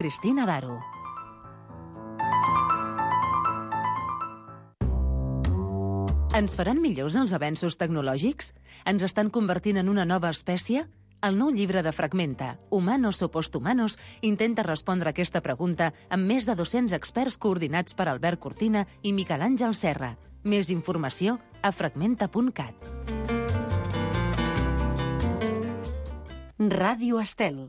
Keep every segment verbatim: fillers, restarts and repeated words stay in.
Cristina D'Aro. Ens faran millors els avenços tecnològics? Ens estan convertint en una nova espècie? El nou llibre de Fragmenta, Humanos o Posthumanos, intenta respondre aquesta pregunta amb més de dos-cents experts coordinats per Albert Cortina i Miquel Àngel Serra. Més informació a fragmenta punt cat. Ràdio Estel.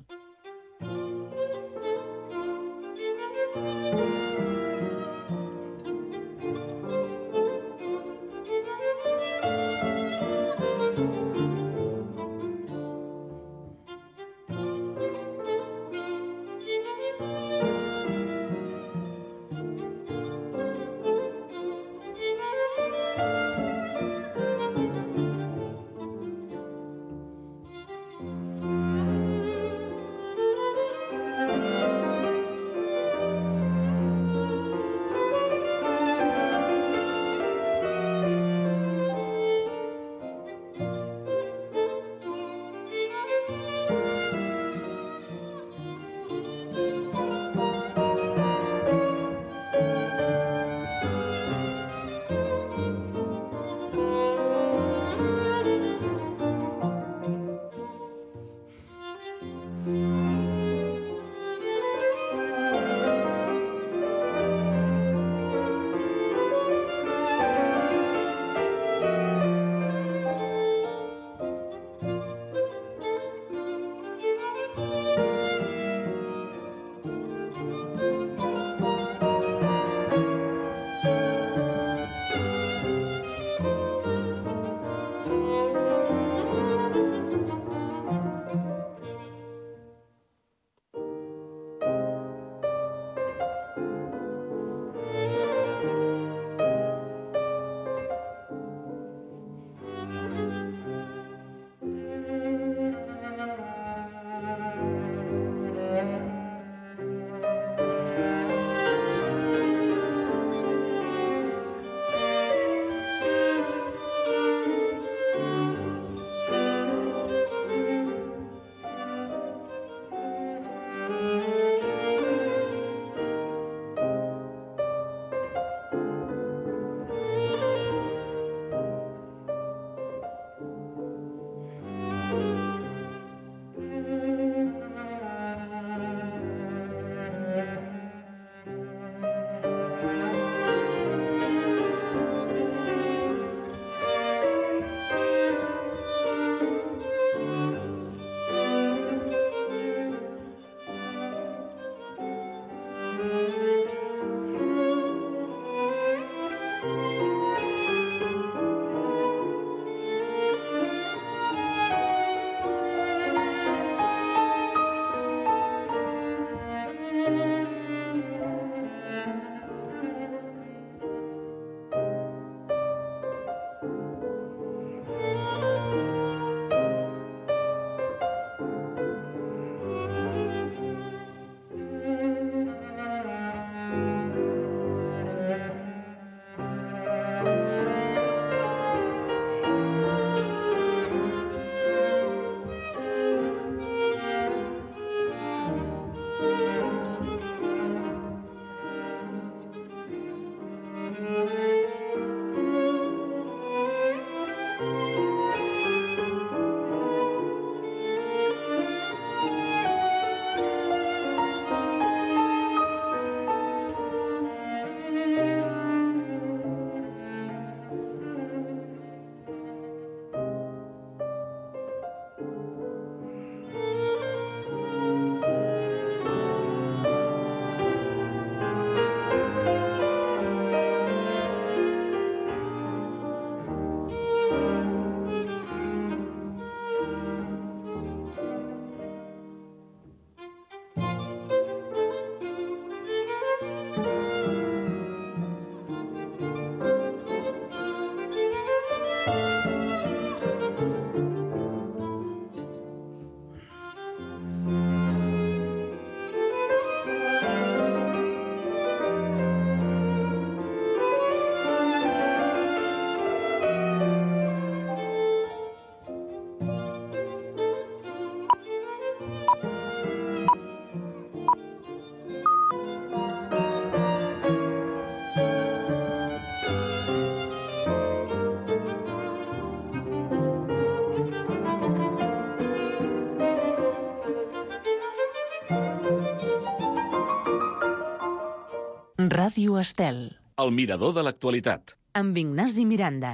Ràdio Estel. El mirador de l'actualitat. Amb Ignasi Miranda.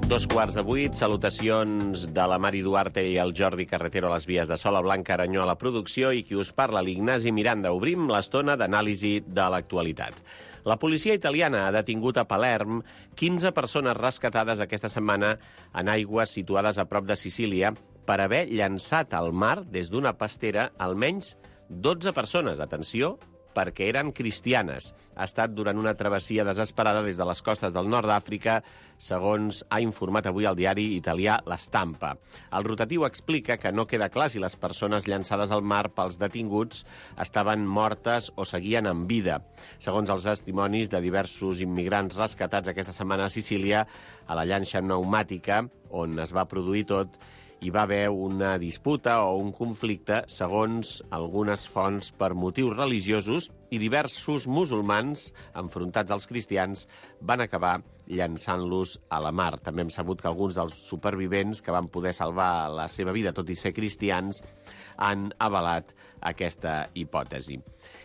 Dos quarts de vuit, salutacions de la Mari Duarte i el Jordi Carretero a les vies de Sola Blanca Aranyó a la producció i qui us parla, l'Ignasi Miranda. Obrim l'estona d'anàlisi de l'actualitat. La policia italiana ha detingut a Palerm quinze persones rescatades aquesta setmana en aigües situades a prop de Sicília per haver llançat al mar des d'una pastera almenys dotze persones. Atenció, perquè eren cristianes. Ha estat durant una travessia desesperada des de les costes del nord d'Àfrica, segons ha informat avui el diari italià La Stampa. El rotatiu explica que no queda clar si les persones llançades al mar pels detinguts estaven mortes o seguien en vida. Segons els testimonis de diversos immigrants rescatats aquesta setmana a Sicília, a la llanxa pneumàtica, on es va produir tot, hi va haver una disputa o un conflicte, segons algunes fonts, per motius religiosos, i diversos musulmans, enfrontats als cristians, van acabar llançant-los a la mar. També hem sabut que alguns dels supervivents que van poder salvar la seva vida, tot i ser cristians, han avalat aquesta hipòtesi.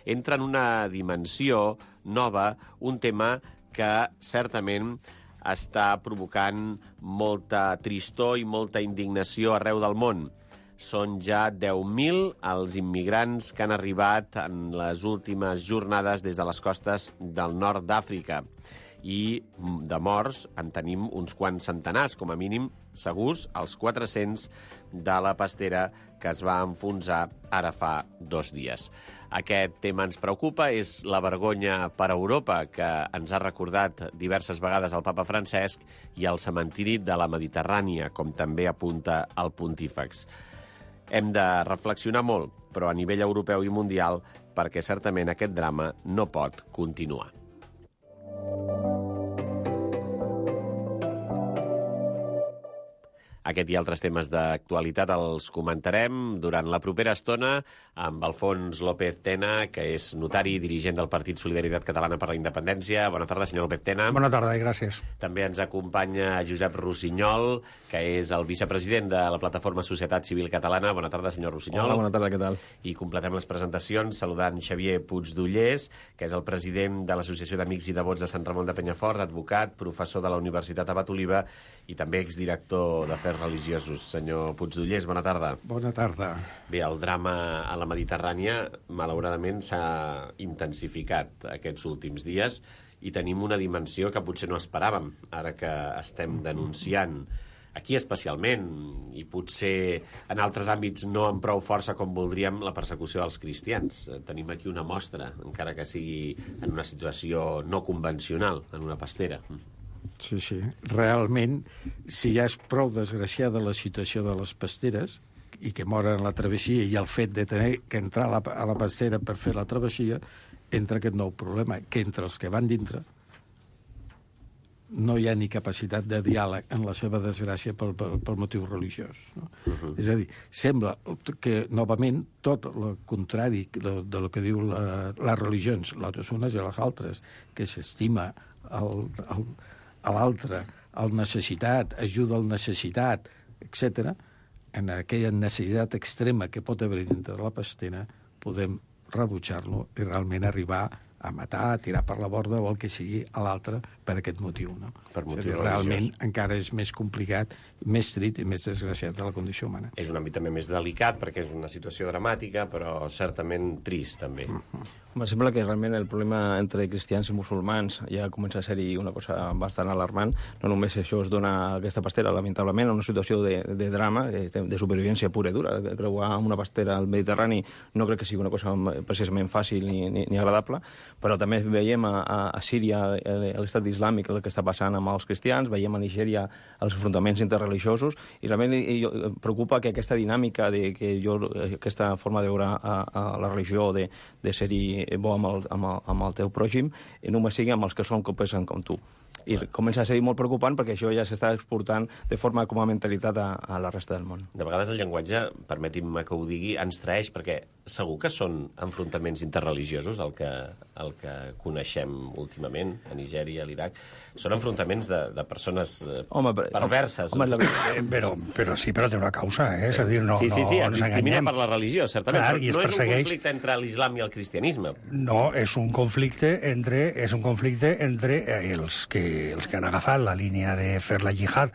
Entra en una dimensió nova, un tema que certament està provocant molta tristor i molta indignació arreu del món. Són ja deu mil els immigrants que han arribat en les últimes jornades des de les costes del nord d'Àfrica. I de morts en tenim uns quants centenars, com a mínim segurs, els quatre-cents de la pastera que es va enfonsar ara fa dos dies. Aquest tema ens preocupa, és la vergonya per a Europa, que ens ha recordat diverses vegades el papa Francesc, i el cementiri de la Mediterrània, com també apunta el pontífex. Hem de reflexionar molt, però a nivell europeu i mundial, perquè certament aquest drama no pot continuar. Aquest i altres temes d'actualitat els comentarem durant la propera estona amb Alfons López Tena, que és notari i dirigent del Partit Solidaritat Catalana per la Independència. Bona tarda, senyor López Tena. Bona tarda i gràcies. També ens acompanya Josep Rossinyol, que és el vicepresident de la plataforma Societat Civil Catalana. Bona tarda, senyor Rossinyol. Hola, bona tarda, què tal? I completem les presentacions saludant Xavier Puigdollers, que és el president de l'Associació d'Amics i Devots de Sant Ramon de Penyafort, advocat, professor de la Universitat Abat Oliva i també exdirector d'Afers religiosos. Senyor Puigdollers, bona tarda. Bona tarda. Bé, el drama a la Mediterrània, malauradament, s'ha intensificat aquests últims dies i tenim una dimensió que potser no esperàvem, ara que estem denunciant aquí especialment, i potser en altres àmbits no amb prou força com voldríem, la persecució dels cristians. Tenim aquí una mostra, encara que sigui en una situació no convencional, en una pastera. Sí, sí. Realment, si ja és prou desgraciada la situació de les pasteres i que moren a la travessia i el fet de tenir que entrar a la, a la pastera per fer la travessia, entra aquest nou problema, que entre els que van dintre no hi ha ni capacitat de diàleg en la seva desgràcia per, per, per motiu religiós. No? Uh-huh. És a dir, sembla que, novament, tot el contrari de, de lo que diu la, les religions, les unes i les altres, que s'estima el, el, a l'altre, el necessitat, ajuda al necessitat, etcètera, en aquella necessitat extrema que pot haver dintre de la pastera, podem rebutjar-lo i realment arribar a matar, a tirar per la borda o el que sigui a l'altre per aquest motiu. No? Per motiu dir, realment encara és més complicat, més trit i més desgraciat de la condició humana. És un àmbit també més delicat perquè és una situació dramàtica, però certament trist també. Uh-huh. Em sembla que realment el problema entre cristians i musulmans ja comença a ser-hi una cosa bastant alarmant. No només això es dona a aquesta pastera, lamentablement, en una situació de, de drama, de, de supervivència pura i dura. Creuar amb una pastera al Mediterrani no crec que sigui una cosa precisament fàcil ni, ni, ni agradable, però també veiem a, a Síria, a l'estat islàmic, el que està passant amb els cristians, veiem a Nigèria els enfrontaments interreligiosos, i realment em preocupa que aquesta dinàmica, de, que jo, aquesta forma de veure a, a la religió, de, de ser-hi bo amb el, amb, el, amb el teu pròxim, només sigui amb els que són com pensen com tu. I comença a ser molt preocupant perquè això ja s'està exportant de forma com a mentalitat a, a la resta del món. De vegades el llenguatge, permetin-me que ho digui, ens traeix, perquè segur que són enfrontaments interreligiosos el que, el que coneixem últimament a Nigèria, a l'Iraq. Són enfrontaments de, de persones home, perverses. Home, la... eh, però, però sí, però té una causa, eh? És a dir, no, sí, sí, sí, no es discrimina per la religió, certament. Clar, però no és persegueix... un conflicte entre l'islam i el cristianisme. No, és un conflicte entre, és un conflicte entre els que, els que han agafat la línia de fer la jihad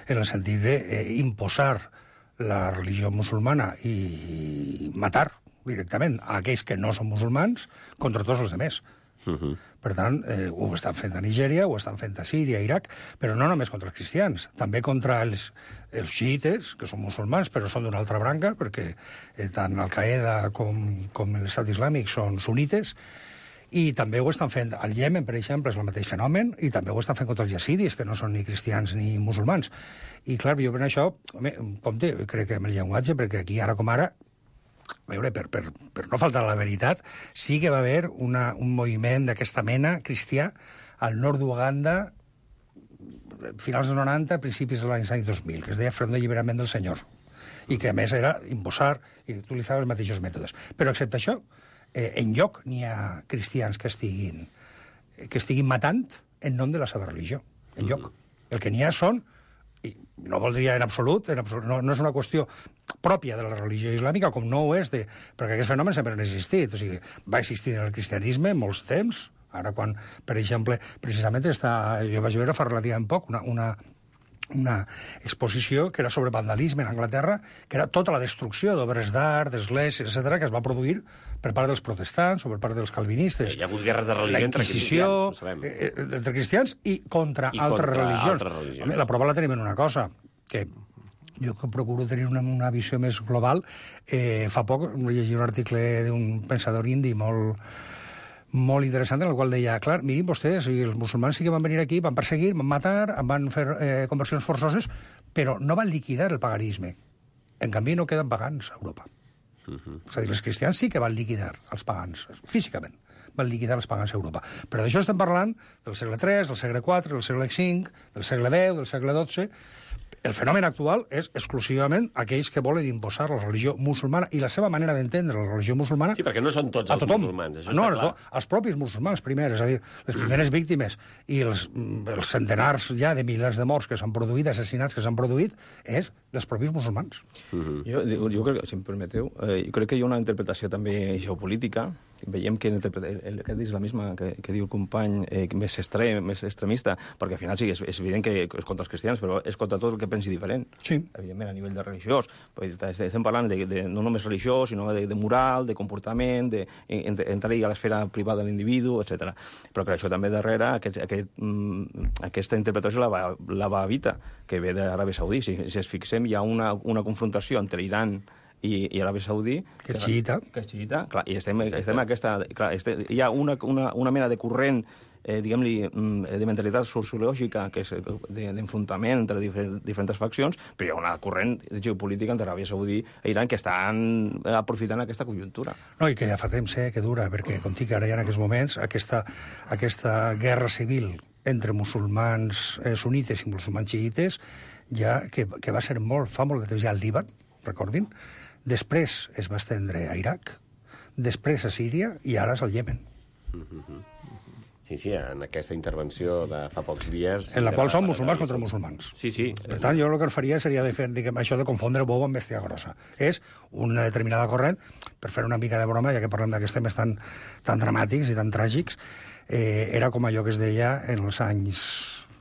en el sentit d'imposar la religió musulmana i matar directament a aquells que no són musulmans contra tots els altres. Uh -huh. Per tant, eh, ho estan fent a Nigèria, ho estan fent a Síria, Iraq, però no només contra els cristians, també contra els, els xiites, que són musulmans, però són d'una altra branca, perquè eh, tant Al-Qaeda com, com l'Estat Islàmic són sunites, i també ho estan fent al Iemen, per exemple, és el mateix fenomen, i també ho estan fent contra els yazidis, que no són ni cristians ni musulmans. I, clar, jo per això, home, compte, crec que amb el llenguatge, perquè aquí, ara com ara, a veure, per, per, per no faltar a la veritat, sí que va haver una, un moviment d'aquesta mena cristià al nord d'Uganda, finals dels noranta, principis de l'any dos mil, que es deia Front d'Alliberament del Senyor, i que, a més, era imposar i utilitzar els mateixos mètodes. Però, excepte això, eh, enlloc n'hi ha cristians que estiguin, que estiguin matant en nom de la seva religió. Enlloc. El que n'hi ha són, i no voldria en absolut, en absolut no, no és una qüestió pròpia de la religió islàmica, com no ho és, de, perquè aquests fenòmens sempre han existit. O sigui, va existir en el cristianisme molts temps. Ara, quan, per exemple, precisament està, jo vaig veure fa relativament poc una, una, una exposició que era sobre vandalisme en Anglaterra, que era tota la destrucció d'obres d'art, d'esglésies, etcètera, que es va produir per part dels protestants o per part dels calvinistes. Hi ha hagut guerres de religió entre cristians, eh, entre cristians i contra I altres contra religions. Altres religions. Home, la prova la tenim en una cosa, que jo que procuro tenir una, una visió més global, eh, fa poc llegia un article d'un pensador indi molt, molt interessant, en el qual deia, clar, mirin vostès, els musulmans sí que van venir aquí, van perseguir, van matar, van fer eh, conversions forçoses, però no van liquidar el paganisme. En canvi, no queden pagans a Europa. Uh -huh. És a dir, els cristians sí que van liquidar els pagans, físicament, van liquidar els pagans a Europa. Però d'això estem parlant del segle tres, del segle quatre, del segle cinc, del segle deu, del segle dotze. El fenomen actual és exclusivament aquells que volen imposar la religió musulmana i la seva manera d'entendre la religió musulmana. Sí, perquè no són tots els musulmans, això no, està clar. No, els propis musulmans primers, és a dir, les primeres víctimes i els, els centenars ja de milers de morts que s'han produït, assassinats que s'han produït, és dels propis musulmans. Uh-huh. jo, jo crec que, si em permeteu, eh, jo crec que hi ha una interpretació també geopolítica. Veiem que el, el, aquest islamisme que, que diu el company eh, més extrem, més extremista, perquè al final sí, és, és evident que és contra els cristians, però és contra tot el que pensi diferent. Sí. Evidentment, a nivell de religiós. Estem parlant de, de, no només religiós, sinó de, de moral, de comportament, d'entrar-hi a l'esfera privada de l'individu, etcètera. Però que això també darrere, aquest, aquest, mm, aquesta interpretació la va, la va evitar, que ve d'Aràbia Saudí. Si, si ens fixem, hi ha una, una confrontació entre Iran i, i Aràbia Saudí... Que és xiita. Que és xiita, clar, i estem, estem aquesta... Clar, este, hi ha una, una, una mena de corrent eh, diguem-li, de mentalitat sociològica, que és d'enfrontament entre difer diferents faccions, però hi ha una corrent geopolítica entre Aràbia Saudí i Iran que estan aprofitant aquesta conjuntura. No, i que ja fa temps eh, que dura, perquè, com dic, ara hi ha en aquests moments aquesta, aquesta guerra civil entre musulmans eh, sunites i musulmans xiites, ja, que, que va ser molt, fa molt de temps ja al Líban, recordin, després es va estendre a Iraq, després a Síria i ara és al Iemen. Sí, sí, en aquesta intervenció de fa pocs dies... En la qual són musulmans contra musulmans. Sí, sí. Per tant, jo el que faria seria de fer, diguem, això de confondre bou amb bèstia grossa. És una determinada corrent, per fer una mica de broma, ja que parlem d'aquests temes tan, tan dramàtics i tan tràgics, eh, era com allò que es deia en els anys...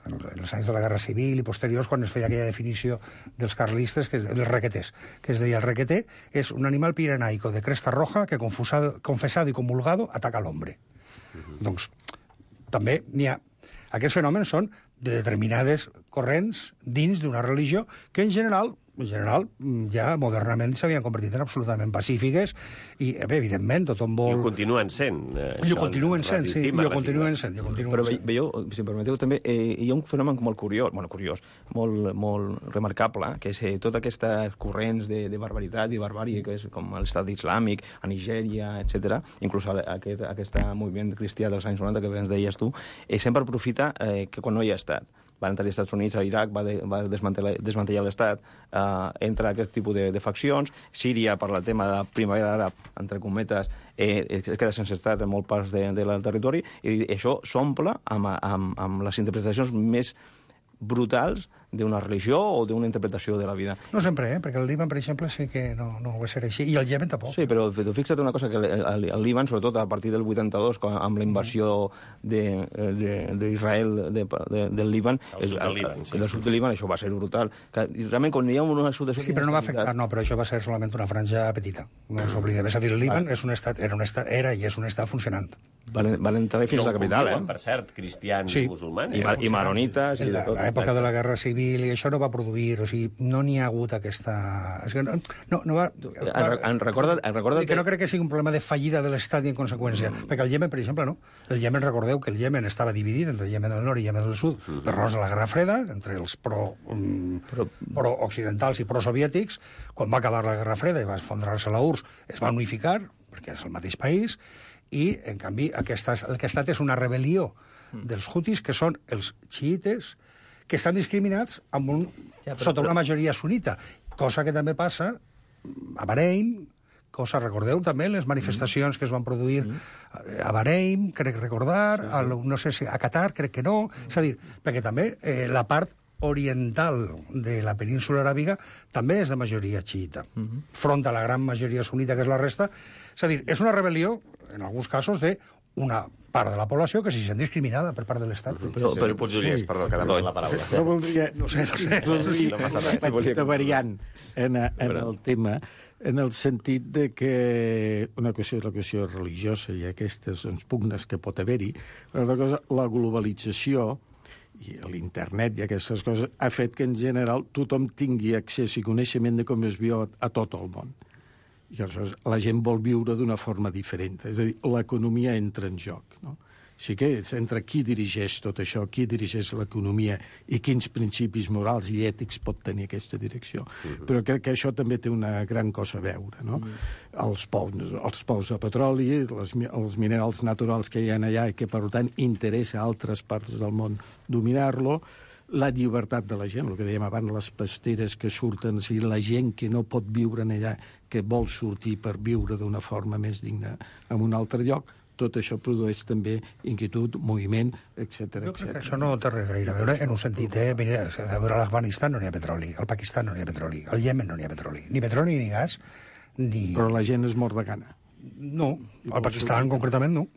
en els anys de la Guerra Civil i posteriors, quan es feia aquella definició dels carlistes, que és, dels requeters, que es deia el requeter és un animal pirenaico de cresta roja que, confusado, confesado i comulgado, ataca a l'hombre. Uh-huh. Doncs, també n'hi ha... Aquests fenòmens són de determinades corrents dins d'una religió que, en general, en general, ja modernament s'havien convertit en absolutament pacífiques i, bé, evidentment, tothom vol... I ho continuen sent. Eh, I ho continuen sent, sí, i ho continuen sent. I ho continuen Però sent. veieu, si em permeteu, també eh, hi ha un fenomen molt curiós, bueno, curiós, molt, molt remarcable, que és eh, totes aquestes corrents de, de barbaritat i barbària, que és com l'estat islàmic, a Nigèria, etcètera, inclús aquest, aquest moviment cristià dels anys noranta que ens deies tu, eh, sempre aprofita eh, que quan no hi ha estat. Van entrar als Estats Units, a Iraq, va, de, va desmantellar, desmantellar l'Estat, eh, entra aquest tipus de, de faccions. Síria, per el tema de la primavera àrab, entre cometes, eh, es queda sense estat en molts parts de, del territori, i això s'omple amb, amb, amb les interpretacions més brutals d'una religió o d'una interpretació de la vida. No sempre, eh? Perquè el Líban, per exemple, sí que no, no va ser així. I el Iemen tampoc. Sí, però fixa't una cosa, que el, el Líban, sobretot a partir del vuitanta-dos, amb la invasió d'Israel de, de, de, del Líban, el sud del Líban, sí. del sud del Líban, això va ser brutal. Que, realment, quan hi ha una situació... Sí, però no va afectar, no, però això va ser solament una franja petita. No ens oblidem. És a dir, el Líban és un estat, era, un estat, era i és un estat funcionant. Van, van entrar fins a la capital, eh? Per cert, cristians sí. i musulmans. I, i maronites i de tot. A l'època de la Guerra Civil i això no va produir, o sigui, no n'hi ha hagut aquesta... És que no, no, no va... En, en recorda, en recorda que... que no crec que sigui un problema de fallida de l'Estat i en conseqüència. Mm. Perquè el Iemen, per exemple, no. El Iemen, recordeu que el Iemen estava dividit entre el Iemen del nord i el Iemen del sud mm. per raons de la Guerra Freda, entre els pro, um, però... pro-occidentals i pro-soviètics. Quan va acabar la Guerra Freda i va esfondrar-se la U R S S, es va unificar, perquè és el mateix país, i, en canvi, aquesta, el que ha estat és una rebel·lió dels hutis, que són els xiites, que estan discriminats amb un, ja, però, sota una majoria sunita, cosa que també passa a Bahrein, cosa, recordeu també les manifestacions mm. que es van produir mm. a Bahrein, crec recordar, sí. a, no sé si a Qatar, crec que no, mm. és a dir, perquè també eh, la part oriental de la península aràbiga també és de majoria xiita, mm -hmm. front a la gran majoria sunita que és la resta. És a dir, és una rebel·lió, en alguns casos, de una part de la població que s'hi sent discriminada per part de l'Estat. Però, però, però Puigdemont, perdó, que demana la paraula. No voldria... No sé, no sé. Voldria una petita variant en, en el tema, en el sentit de que una qüestió és la qüestió religiosa i aquestes doncs, pugnes que pot haver-hi, però una cosa, la globalització i l'internet i aquestes coses ha fet que, en general, tothom tingui accés i coneixement de com es viu a, a tot el món. I aleshores la gent vol viure d'una forma diferent. És a dir, l'economia entra en joc, no? Sí que és entre qui dirigeix tot això, qui dirigeix l'economia i quins principis morals i ètics pot tenir aquesta direcció. Uh-huh. Però crec que això també té una gran cosa a veure, no? Uh-huh. Els pous, els pous de petroli, les, els minerals naturals que hi ha allà i que, per tant, interessa a altres parts del món dominar-lo, la llibertat de la gent, el que dèiem abans, les pasteres que surten, i la gent que no pot viure en allà, que vol sortir per viure d'una forma més digna en un altre lloc, tot això produeix també inquietud, moviment, etcètera. Jo crec que això no té res gaire a veure en un sentit, eh? Mira, a veure, a l'Afganistan no n'hi ha petroli, al Pakistan no n'hi ha petroli, al Iemen no n'hi ha petroli, ni petroli ni gas, ni... Però la gent es mor de gana. No, al Pakistan concretament no.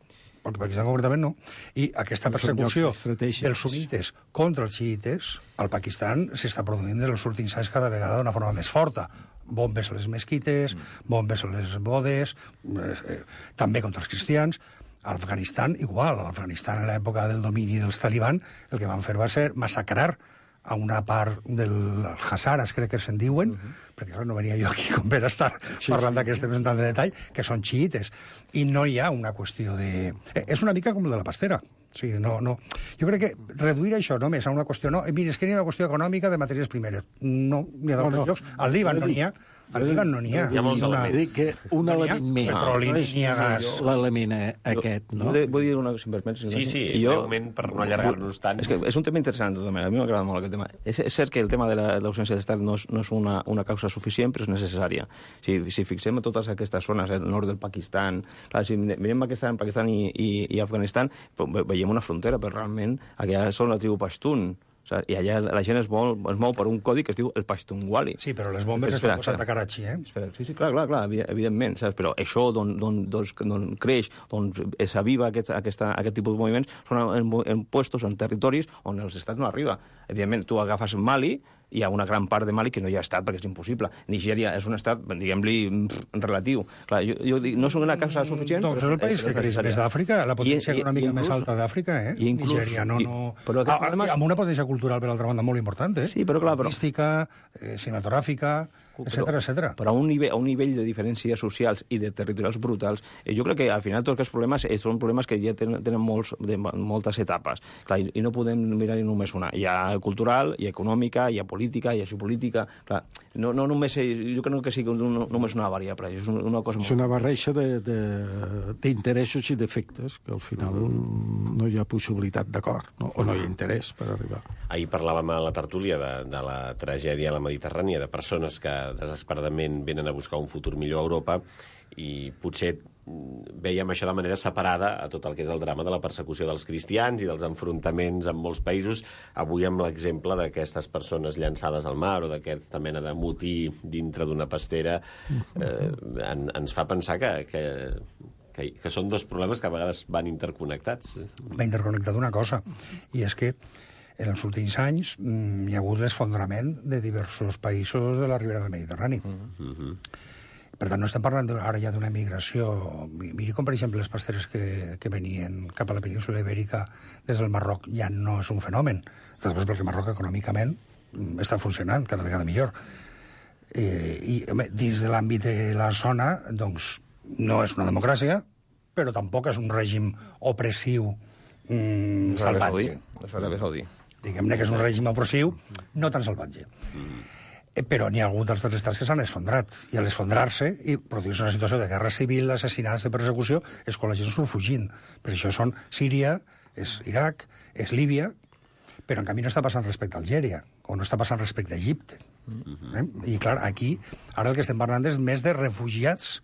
Al Pakistan concretament no. I aquesta persecució dels sunites contra els xiites al Pakistan s'està produint en els últims anys cada vegada d'una forma més forta. Bombes a les mesquites, bombes a les bodes, eh, també contra els cristians. A l'Afganistan, igual. A l'Afganistan, en l'època del domini dels talibans, el que van fer va ser massacrar a una part dels Hazaras, crec que se'n diuen, uh -huh. perquè clar, no venia jo aquí com per estar sí, parlant sí. d'aquest temps tant de detall, que són xiites. I no hi ha una qüestió de... Eh, és una mica com de la pastera. O sigui, no, no. Jo crec que reduir això només a una qüestió... No, mira, és que hi ha una qüestió econòmica de matèries primeres. No, n'hi ha d'altres no, no. llocs. Al Líban no n'hi ha. Al Líban no n'hi ha. Hi ha molts elements. Dic que un no element més. Petroli, no n'hi ha gas. L'element aquest, no? Vull dir una cosa, si em permets. Sí, sí, jo, breument, per no allargar-nos tant. És que és un tema interessant, tot, a mi m'agrada molt aquest tema. És, és cert que el tema de l'ausència d'estat no és, no és una, una causa suficient, però és necessària. Si, si fixem a totes aquestes zones, el nord del Pakistan, clar, si mirem Pakistan, Pakistan i, i, i Afganistan, veiem una frontera, però realment allà són la tribu Pashtun. O sigui, i allà la gent es mou, es mou per un codi que es diu el Pashtunwali. Sí, però les bombes estan posat a Karachi, eh? Espera, sí, sí, clar, clar, clar, evidentment, saps? Però això d'on, d'on, d'on creix, d'on s'aviva aquest, aquesta, aquest tipus de moviments, són en, en puestos, en territoris on els estats no arriba. Evidentment, tu agafes Mali, hi ha una gran part de Mali que no hi ha estat perquè és impossible. Nigèria és un estat, diguem-li, relatiu. Clar, jo, jo dic, no és una causa suficient... Doncs és el país que creix més d'Àfrica, la potència econòmica més alta d'Àfrica, eh? Nigèria, no... no... Amb una potència cultural, per altra banda, molt important, eh? Sí, però clar, però... Artística, cinematogràfica... etcètera, etcètera. Però a un, nivell, a un nivell de diferències socials i de territorials brutals, eh, jo crec que al final tots aquests problemes eh, són problemes que ja tenen, tenen molts, de, moltes etapes. Clar, i, i no podem mirar només una. Hi ha cultural, hi ha econòmica, hi ha política, hi ha geopolítica... Clar, no, no només, jo crec que sigui un, només una variable, és una cosa molt... És una barreja d'interessos i d'efectes, que al final no hi ha possibilitat d'acord, no? O no hi ha interès per arribar. Ahir parlàvem a la tertúlia de, de la tragèdia a la Mediterrània, de persones que desesperadament venen a buscar un futur millor a Europa, i potser veiem això de manera separada a tot el que és el drama de la persecució dels cristians i dels enfrontaments en molts països. Avui amb l'exemple d'aquestes persones llançades al mar o d'aquesta mena de motí dintre d'una pastera eh, en, ens fa pensar que, que, que, que són dos problemes que a vegades van interconnectats. Va interconnectat una cosa, i és que en els últims anys mm, hi ha hagut l'esfondrament de diversos països de la ribera del Mediterrani. Mm-hmm. Per tant, no estem parlant ara ja d'una migració... Miri com, per exemple, les pasteres que, que venien cap a la península Ibèrica des del Marroc ja no és un fenomen. Després perquè el Marroc econòmicament està funcionant cada vegada millor. Eh, I home, dins de l'àmbit de la zona, doncs, no és una democràcia, però tampoc és un règim opressiu mm, salvatge. Això era més Saudí. Diguem-ne que és un règim opressiu, no tan salvatge. Mm. Eh, però n'hi ha hagut dels estats que s'han esfondrat. I a l'esfondrar-se i produir-se una situació de guerra civil, d'assassinats, de persecució, és quan la gent surt fugint. Per això són Síria, és Iraq, és Líbia, però en canvi no està passant respecte a Algèria, o no està passant respecte a Egipte. Mm-hmm. eh? I clar, aquí, ara el que estem parlant és més de refugiats,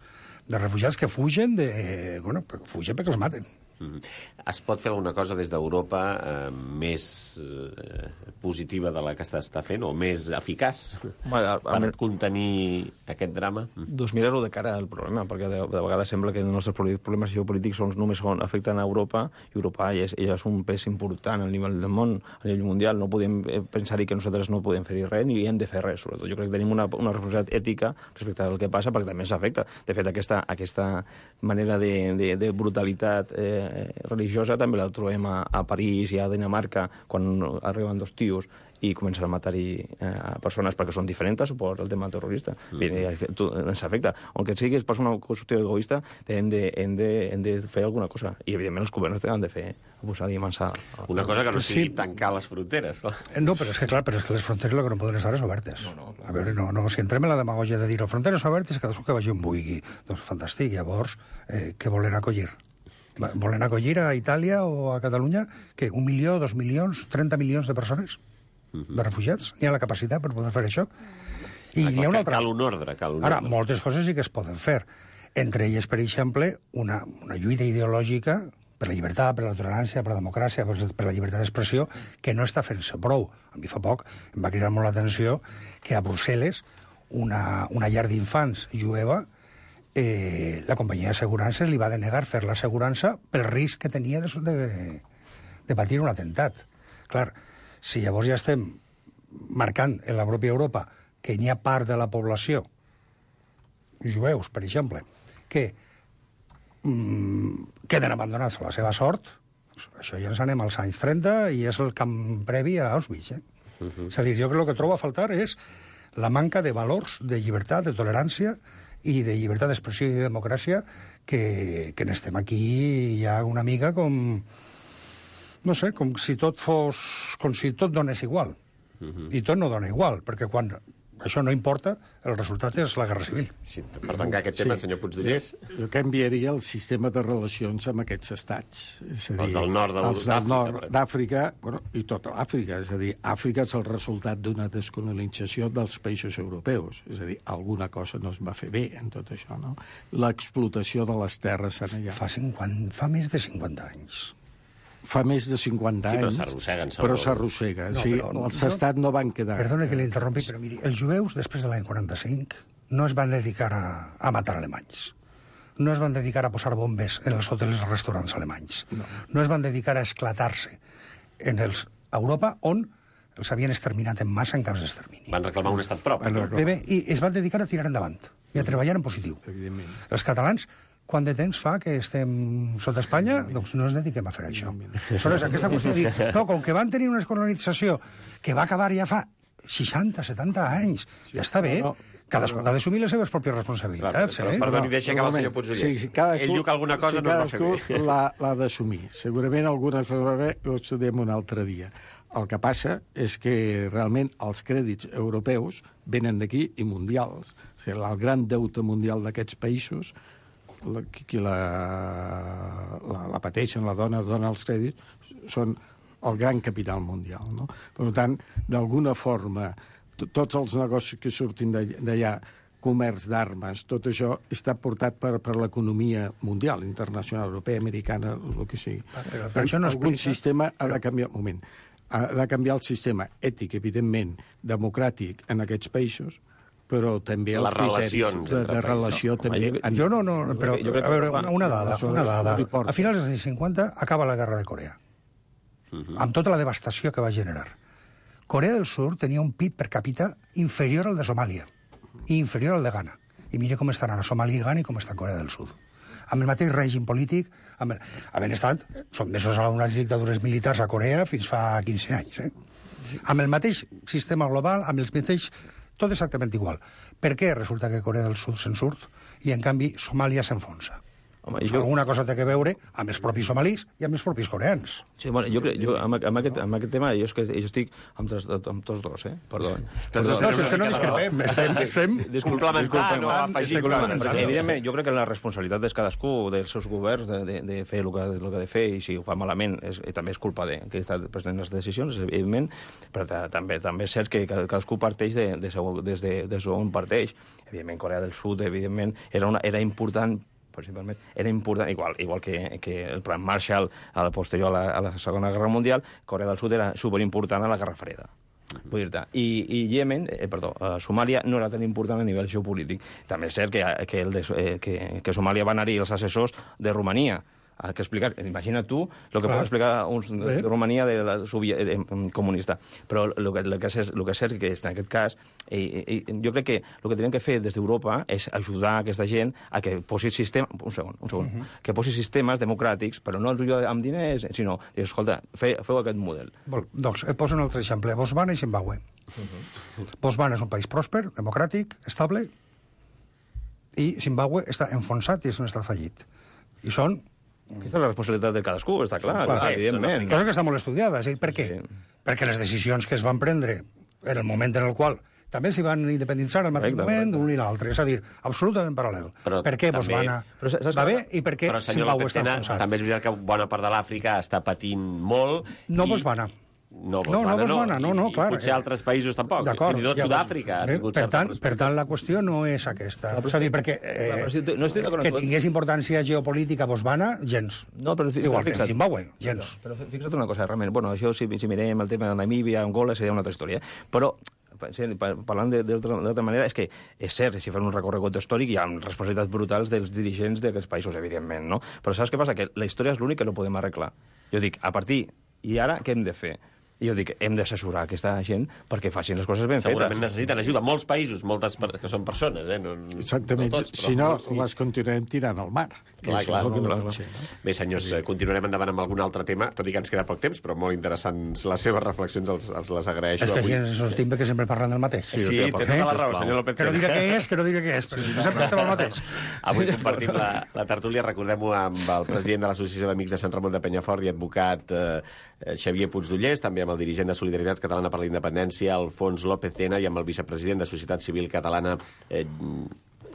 de refugiats que fugen, de, eh, bueno, fugen perquè els maten. Mm-hmm. Es pot fer alguna cosa des d'Europa eh, més eh, positiva de la que s'està fent, o més eficaç bueno, per a... contenir aquest drama? Doncs mirar-ho de cara al problema, perquè de, de vegades sembla que els nostres problemes geopolítics són, només són, afecten a Europa, i Europa ja és, ja és un pes important al nivell del món, a nivell mundial. No podem pensar-hi que nosaltres no podem fer-hi res, ni hem de fer res, sobretot. Jo crec que tenim una, una responsabilitat ètica respecte al que passa, perquè també ens afecta. De fet, aquesta, aquesta manera de, de, de brutalitat eh, religiosa també la trobem a, a París i a Dinamarca quan arriben dos tios i comencen a matar-hi eh, persones perquè són diferents per el tema terrorista. Mm. I, tu, ens afecta. Aunque sigui per una qüestió egoista, hem de, hem, de, hem de fer alguna cosa. I, evidentment, els governs han de fer posar i amansar. Una cosa que no sigui sí. tancar les fronteres. No, però és que, clar, però és que les fronteres el que no poden estar és obertes. No, no, clar. A veure, no, no, si entrem en la demagogia de dir les fronteres obertes, cadascú que vagi on vulgui. Doncs fantàstic, llavors, eh, què volen acollir? Volen acollir a Itàlia o a Catalunya que un milió, dos milions, trenta milions de persones, uh-huh. de refugiats? N'hi ha la capacitat per poder fer això? I ah, hi ha una altra... Cal un ordre, cal un Ara, ordre. moltes coses sí que es poden fer. Entre elles, per exemple, una, una lluita ideològica per la llibertat, per la tolerància, per la democràcia, per, per la llibertat d'expressió, que no està fent-se prou. A mi fa poc em va cridar molt l'atenció que a Brussel·les una, una llar d'infants jueva Eh, la companyia d'assegurances li va denegar fer l'assegurança pel risc que tenia de, de, de patir un atemptat. Clar, si llavors ja estem marcant en la pròpia Europa que n'hi ha part de la població, jueus, per exemple, que mm, queden abandonats a la seva sort, això ja ens anem als anys trenta i és el camp previ a Auschwitz. Eh? Uh-huh. És a dir, jo crec que el que trobo a faltar és la manca de valors, de llibertat, de tolerància i de llibertat d'expressió i de democràcia que, que n'estem aquí ja una mica com... No sé, com si tot fos... com si tot donés igual. Uh-huh. I tot no dona igual, perquè quan això no importa, el resultat és la guerra civil. Sí, per tancar aquest tema, sí. senyor Puigdollers... Jo canviaria el sistema de relacions amb aquests estats. És a dir, els del nord els del nord d'Àfrica, bueno, i tota l'Àfrica. És a dir, Àfrica és el resultat d'una descolonització dels països europeus. És a dir, alguna cosa no es va fer bé en tot això, no? L'explotació de les terres en allà. Fa, cinquanta, fa més de cinquanta anys. Fa més de cinquanta sí, anys. Però s'arrosseguen. Però s'arrossega. No, sí, els estats no van quedar... Perdona que l'interrompi, però miri, els jueus, després de l'any quaranta-cinc, no es van dedicar a, a matar alemanys. No es van dedicar a posar bombes en els hotels i restaurants alemanys. No, no es van dedicar a esclatar-se en els, a Europa, on els havien exterminat en massa en camps d'extermini. Van reclamar un estat propi. Bé, bé, i es van dedicar a tirar endavant i a treballar en positiu. Evidentment. Els catalans, quant de temps fa que estem sota Espanya, doncs no ens dediquem a fer això. Aleshores, aquesta qüestió de dir, no, com que van tenir una colonització que va acabar ja fa seixanta, setanta anys, ja està bé, cadascú ha d'assumir les seves pròpies responsabilitats. Però, Eh? perdoni, deixa acabar el senyor Puigdoller. Sí, sí, cadascú, Ell diu que alguna cosa sí, no es va fer bé. cadascú l'ha- l'ha d'assumir. Segurament alguna cosa va bé, ho estudiem un altre dia. El que passa és que realment els crèdits europeus venen d'aquí i mundials. O sigui, el gran deute mundial d'aquests països, la, qui la, la, la pateixen, la dona, dona els crèdits, són el gran capital mundial. No? Per tant, d'alguna forma, t- tots els negocis que surtin d'all- d'allà, comerç d'armes, tot això està portat per, per l'economia mundial, internacional, europea, americana, el que sigui. Però, però això no Algun explica... sistema ha de canviar... Un moment. Ha de canviar el sistema ètic, evidentment, democràtic en aquests països, però també els Les criteris relacions de, entre de països. relació Home, també... jo- han- Jo no, no, però, Jo crec que- a veure, una, una dada, Això una dada. no li importa. A finals dels anys cinquanta acaba la guerra de Corea, amb tota la devastació que va generar. Corea del Sur tenia un P I B per càpita inferior al de Somàlia i inferior al de Ghana. I mira com estan ara Somàlia i Ghana i com està Corea del Sud. Amb el mateix règim polític, amb el, havent estat sotmesos a unes dictadures militars a Corea fins fa quinze anys. Eh? Amb el mateix sistema global, amb els mateixos... Tot exactament igual. Per què resulta que Corea del Sud se'n surt i, en canvi, Somàlia s'enfonsa? Home, Doncs jo- alguna cosa té a veure amb els propis somalis i amb els propis coreans. Sí, bueno, jo, crec- jo amb, amb, aquest, amb aquest tema jo, és que, jo estic amb, tres, amb tots dos, eh? Perdó. Tots dos No, si tenen és que no una mica de raó. discrepem, estem... estem... Complementar, no afegir, Estem complementar. Perquè, evidentment, jo crec que la responsabilitat és cadascú, dels seus governs, de, de, de fer el que, el que ha de fer, i si ho fa malament, és, i també és culpa de que està prenent les decisions, evidentment, però ta- també també és cert que ca- cadascú parteix de, de, segon- des de, des d'on parteix. Evidentment, Corea del Sud, evidentment, era, una, era important principalment, era important, igual, igual que, que el plan Marshall a la posterior a la, a la Segona Guerra Mundial, Corea del Sud era superimportant a la Guerra Freda. Vull dir-te. I, i Yemen, eh, perdó, eh, Somàlia no era tan important a nivell geopolític. També és cert que, que, el de, eh, que, que Somàlia van anar-hi els assessors de Romania a que explicar. Imagina tu el que pot explicar uns de, de Romania de la sovi eh, comunista. Però el que, el que, és, el que és cert que en aquest cas, eh, eh, jo crec que el que tenen que fer des d'Europa és ajudar aquesta gent a que posi sistema, un segon, un segon, uh -huh. que posi sistemes democràtics, però no amb diners, sinó, dir, escolta, fe, feu aquest model. Vol, doncs et poso un altre exemple. Botswana i Zimbabue. Uh -huh. Botswana és un país pròsper, democràtic, estable, i Zimbabue està enfonsat i és un estat fallit. I són... Aquesta és la responsabilitat de cadascú, està clar, Clar, clar és, evidentment. Cosa que està molt estudiada. És a dir, per què? Sí. Perquè les decisions que es van prendre en el moment en el qual també s'hi van independitzar al mateix Correcte, moment, correcte. un i l'altre. És a dir, absolutament paral·lel. Però per què també- Botswana Però saps va que- bé i per què Però, senyor Zimbabue López està Tena, enfonsat? també és veritat que bona part de l'Àfrica està patint molt. No i... Botswana. No, No, Botswana, no, Botswana, no, no, I, clar. I potser altres països tampoc. D'acord. Fins i tot ja, Sud-àfrica. ha bé, tingut Per certa tant, per tant, la qüestió no és aquesta. És a dir, perquè eh, Però si tu- no estic d'acord amb que tu. tingués importància geopolítica Botswana, gens. No, però fi- Igual però que fixa't. Zimbabue, gens. Però fi- fixa't una cosa, realment, bueno, això si, si mirem el tema de Namíbia, Angola, seria una altra història, però sí, pa- parlant de- d'altra d'altra manera, és que és cert, si fan un recorregut històric hi ha responsabilitats brutals dels dirigents d'aquests països, evidentment, no? Però saps què passa? Que la història és l'únic que no podem arreglar. Jo dic, a partir, i ara què hem de fer? I jo dic, hem d'assessorar aquesta gent perquè facin les coses ben Segurament fetes. necessiten ajuda. Molts països, moltes per... que són persones, eh? No, Exactament. no tots, però Si no, molts sí. les continuarem tirant al mar. Que Clar, això clar, és el que clar, no clar. pot ser, no? Bé, senyors, eh, continuarem endavant amb algun altre tema, tot i que ens queda poc temps, però molt interessants les seves reflexions, els, els les agraeixo És que avui. aquí ens estim que sempre parlen del mateix. Sí, té tota la raó, senyor López Que no Tena. diré què és, que no diré què és, però si sempre estem al mateix. Avui compartim la, la tertúlia, recordem-ho, amb el president de l'Associació d'Amics de Sant Ramon de Penyafort i advocat eh, Xavier Puigdollers, també amb el dirigent de Solidaritat Catalana per la Independència, Alfons López Tena, i amb el vicepresident de Societat Civil Catalana, eh,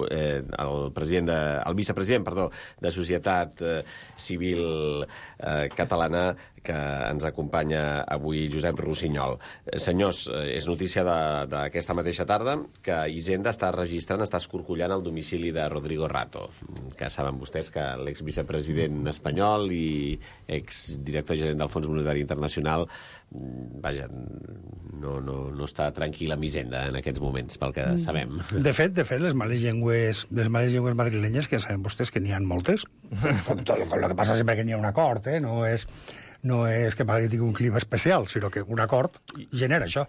eh, el president de, el vicepresident, perdó, de Societat eh, Civil eh, Catalana, que ens acompanya avui, Josep Rossinyol. Eh, senyors, eh, és notícia de- d'aquesta mateixa tarda que Hisenda està registrant, està escorcollant el domicili de Rodrigo Rato, que saben vostès que l'exvicepresident espanyol i exdirector gerent del Fons Monetari Internacional, mm, vaja, no, no, no està tranquil amb Hisenda en aquests moments, pel que sabem. De fet, de fet, les males llengües, les males llengües madrilenyes, que saben vostès que n'hi ha moltes, com tot, com el que passa sempre que n'hi ha un acord, eh? no és... no és que Madrid tingui un clima especial, sinó que un acord genera això.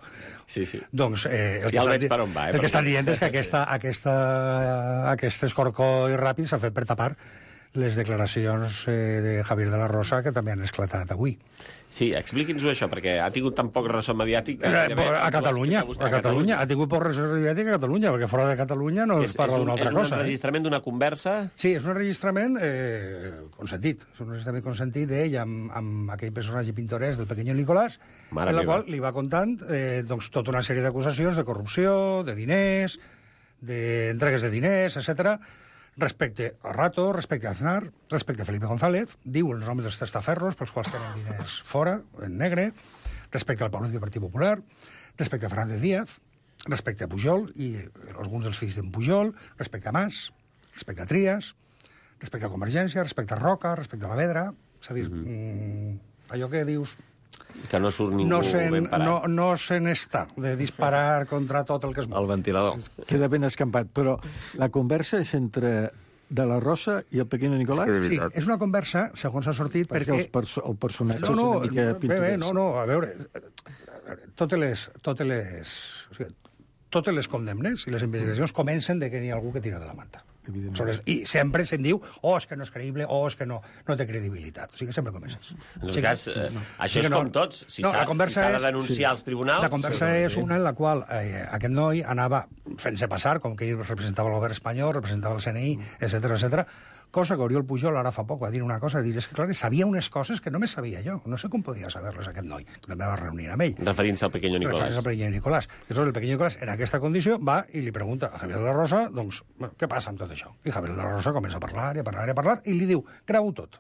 Sí, sí. Doncs eh, el, ja que el veig estan, per on va, eh, el que estan mi. dient és que aquesta, aquesta, aquest escorcoll ràpid s'ha fet per tapar les declaracions eh, de Javier de la Rosa, que també han esclatat avui. Sí, expliqui'ns-ho això, perquè ha tingut tan poc ressò mediàtic... Que Eh, a Catalunya, a Catalunya, ha tingut poc ressò mediàtic a Catalunya, perquè fora de Catalunya no es parla d'una altra cosa. És un enregistrament d'una conversa? Sí, és un enregistrament eh, consentit. És un enregistrament consentit d'ell amb, amb aquell personatge pintoresc del Pequeño Nicolás, Mare en la meva. qual li va contant eh, doncs, tota una sèrie d'acusacions de corrupció, de diners, d'entregues de diners, etcètera, respecte a Rato, respecte a Aznar, respecte a Felipe González, diu els noms dels testaferros pels quals tenen diners fora, en negre, respecte al Partit Partit Popular, respecte a Fernández Díaz, respecte a Pujol i alguns dels fills d'en Pujol, respecte a Mas, respecte a Trias, respecte a Convergència, respecte a Roca, respecte a la Vedra, és a dir, mm-hmm. mm, allò que dius... Que no surt ningú no sen, ben parat. No, no se n'està de disparar contra tot el que es mou. El ventilador. Queda ben escampat, però la conversa és entre de la Rosa i el Pequeño Nicolás? Sí, és una conversa, segons ha sortit, perquè... perquè... Els perso el personatge no, no, és una mica bé, bé, pintoresc. no, no, a veure, totes les, totes les, o sigui, totes les condemnes i les investigacions comencen de que n'hi ha algú que tira de la manta. Evidentment. I sempre se'n diu, oh, és que no és creïble, oh, és que no, no té credibilitat. O sigui que sempre comences. En tot o sigui, cas, eh, no. això o sigui és no, com tots. Si no, s'ha la conversa si de és- denunciar sí. als tribunals... La conversa sí, és una en la qual eh, aquest noi anava fent-se passar, com que ell representava el govern espanyol, representava el C N I, etcètera, etcètera, cosa que Oriol Pujol ara fa poc va dir una cosa, dir, és que clar, que sabia unes coses que no me sabia jo, no sé com podia saber-les aquest noi, que també va reunir amb ell. Referint-se al Pequeño Nicolás. Referents al Pequeño Nicolás. Llavors, el Pequeño Nicolás, en aquesta condició, va i li pregunta a Javier de la Rosa, doncs, bueno, què passa amb tot això? I Javier de la Rosa comença a parlar, i a parlar, i a parlar, i li diu, gravo tot.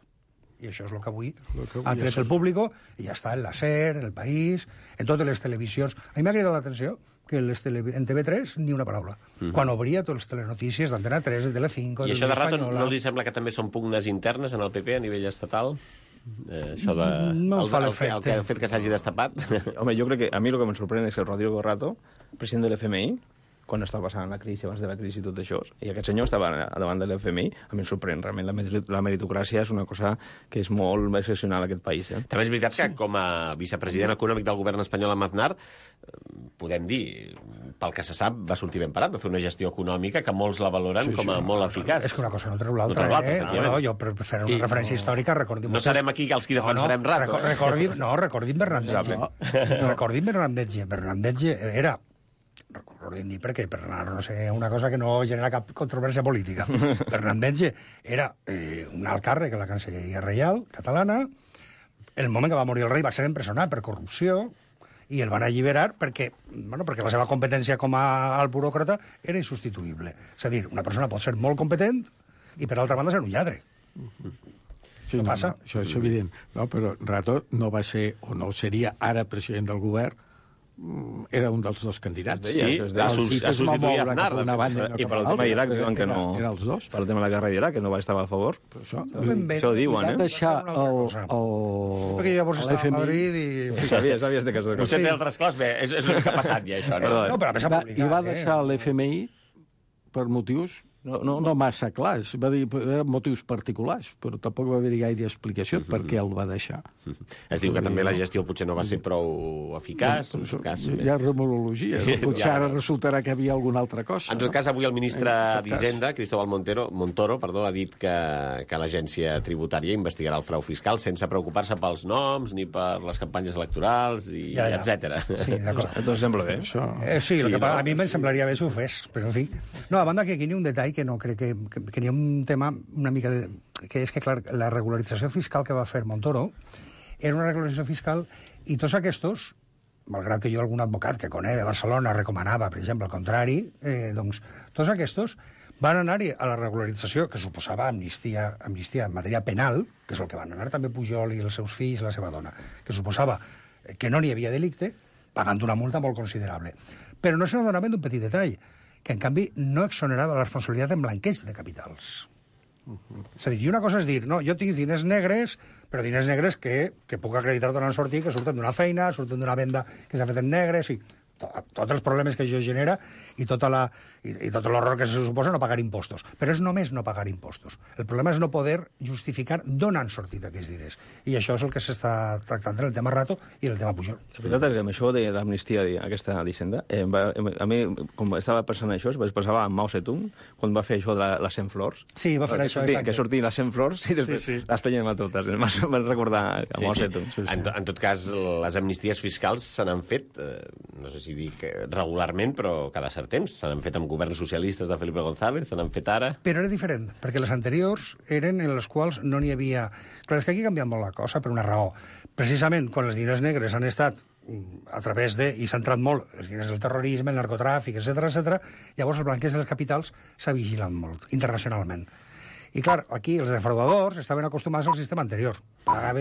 I això és el que avui que avui ha tret és- el públic, i ja està en la SER, en el País, en totes les televisions. A mi m'ha cridat l'atenció que les tele... en T V tres ni una paraula. Mm -hmm. Quan obria totes les telenotícies d'Antena tres, de Telecinco, I de això de rato Espanyola... no els sembla que també són pugnes internes en el P P a nivell estatal? Eh, això de... No em el, fa el, l'efecte. el, que, el fet que s'hagi destapat? Home, jo crec que a mi el que em sorprèn és que el Rodrigo Rato, president de l'F M I, quan estava passant la crisi, abans de la crisi i tot això, i aquest senyor estava davant de l'F M I, a mi em sorprèn. Realment la, merit la meritocràcia és una cosa que és molt excepcional en aquest país. Eh? També és veritat que com a vicepresident econòmic del govern espanyol amb Aznar, eh, podem dir, pel que se sap, va sortir ben parat, va fer una gestió econòmica que molts la valoren Sí, sí, com a no, molt eficaç. És que una cosa no treu l'altra, No treu l'altra, eh? efectivament. No, no, jo per fer una I- referència històrica, recordim... No serem aquí els qui defensarem Rato, reco- eh? Recordim, no, recordim Bernardetge. No, recordim Bernardetge. Bernardetge era... Recordem dir perquè, per anar, no sé, una cosa que no genera cap controvèrsia política. Bernardetge era eh, un alt càrrec a la Cancelleria Reial catalana. El moment que va morir el rei va ser empresonat per corrupció i el van alliberar perquè, bueno, perquè la seva competència com a alt buròcrata era insubstituïble. És a dir, una persona pot ser molt competent i, per altra banda, ser un lladre. Sí, Què no, passa? no, això és evident. No, però Rato no va ser, o no seria ara president del govern, mm, era un dels dos candidats. Sí, això es deia. El A sus- Tito a es va substituir moure Aznar, cap a una de fet. banda i no I cap per a el tema l'altra. d'Iraq diuen que no... Era, eren els dos. Per el tema de la guerra d'Iraq, que no va estar a favor. Per això, No ben bé. Això ho diuen, van eh? deixar Una altra el, cosa. el, Perquè llavors estava a l'F M I Madrid i... Sabies, sabies de que... Vostè Sí. té altres coses? Bé, és, és una mica passat ja, això, no? Perdó. No, però a més ha va, publicat, i va eh? deixar l'F M I per motius No, no, no, no massa clars. Va dir, eren motius particulars, però tampoc va haver-hi gaire explicació Mhm. per què el va deixar. Es diu que també la gestió potser no va ser prou eficaç. En tot cas, Hi ha remolologia. Sí, Potser ja. ara resultarà que hi havia alguna altra cosa. En tot cas, avui el ministre En tot cas. d'Hisenda, Cristóbal Montero, Montoro, perdó, ha dit que, que l'agència tributària investigarà el frau fiscal sense preocupar-se pels noms ni per les campanyes electorals, i Ja, ja. etcètera. Sí, d'acord. Entonces sembla bé. Això... Eh, sí, Sí, el que no? pa- a mi em semblaria bé si ho fes, però en fi. No, a banda que aquí n'hi ha un detall que no crec que, que, que n'hi ha un tema una mica de... que és que, clar, la regularització fiscal que va fer Montoro era una regularització fiscal i tots aquests, malgrat que jo algun advocat que conec de Barcelona recomanava, per exemple, el contrari, eh, doncs tots aquests van anar-hi a la regularització que suposava amnistia, amnistia en matèria penal, que és el que van anar també Pujol i els seus fills i la seva dona, que suposava que no n'hi havia delicte, pagant una multa molt considerable. Però no se n'adonaven d'un petit detall, que en canvi no exonerava la responsabilitat en blanqueig de capitals. És a dir, i una cosa és dir, no, jo tinc diners negres, però diners negres que, que puc acreditar donant sortir, que surten d'una feina, surten d'una venda que s'ha fet en negre, sí. to, tots els problemes que això genera i, tota la, i, i tot l'horror que se suposa no pagar impostos. Però és només no pagar impostos. El problema és no poder justificar d'on han sortit aquests diners. I això és el que s'està tractant en el tema Rato i en el tema Pujol. La veritat és que amb això de l'amnistia, aquesta d'Hisenda, eh, va, a mi, com estava pensant això, es pensava en Mao Zedong, quan va fer això de la, les cent flors. Sí, va fer que això, sortir, exacte. Que sortien les cent flors i després sí, sí. les tenien a totes. Em van recordar a Sí, Mao sí. Zedong. Sí, sí. En, to- en tot cas, les amnisties fiscals se n'han fet, eh, no sé si dic eh, regularment, però cada cert temps. Se n'han fet amb governs socialistes de Felipe González, se n'han fet ara... Però era diferent, perquè les anteriors eren en les quals no n'hi havia... Clar, és que aquí ha canviat molt la cosa per una raó. Precisament quan els diners negres han estat mm, a través de... i s'ha entrat molt els diners del terrorisme, el narcotràfic, etcètera, etcètera, llavors els blanquers dels capitals s'ha vigilat molt, internacionalment. I, clar, aquí els defraudadors estaven acostumats al sistema anterior. Pagaven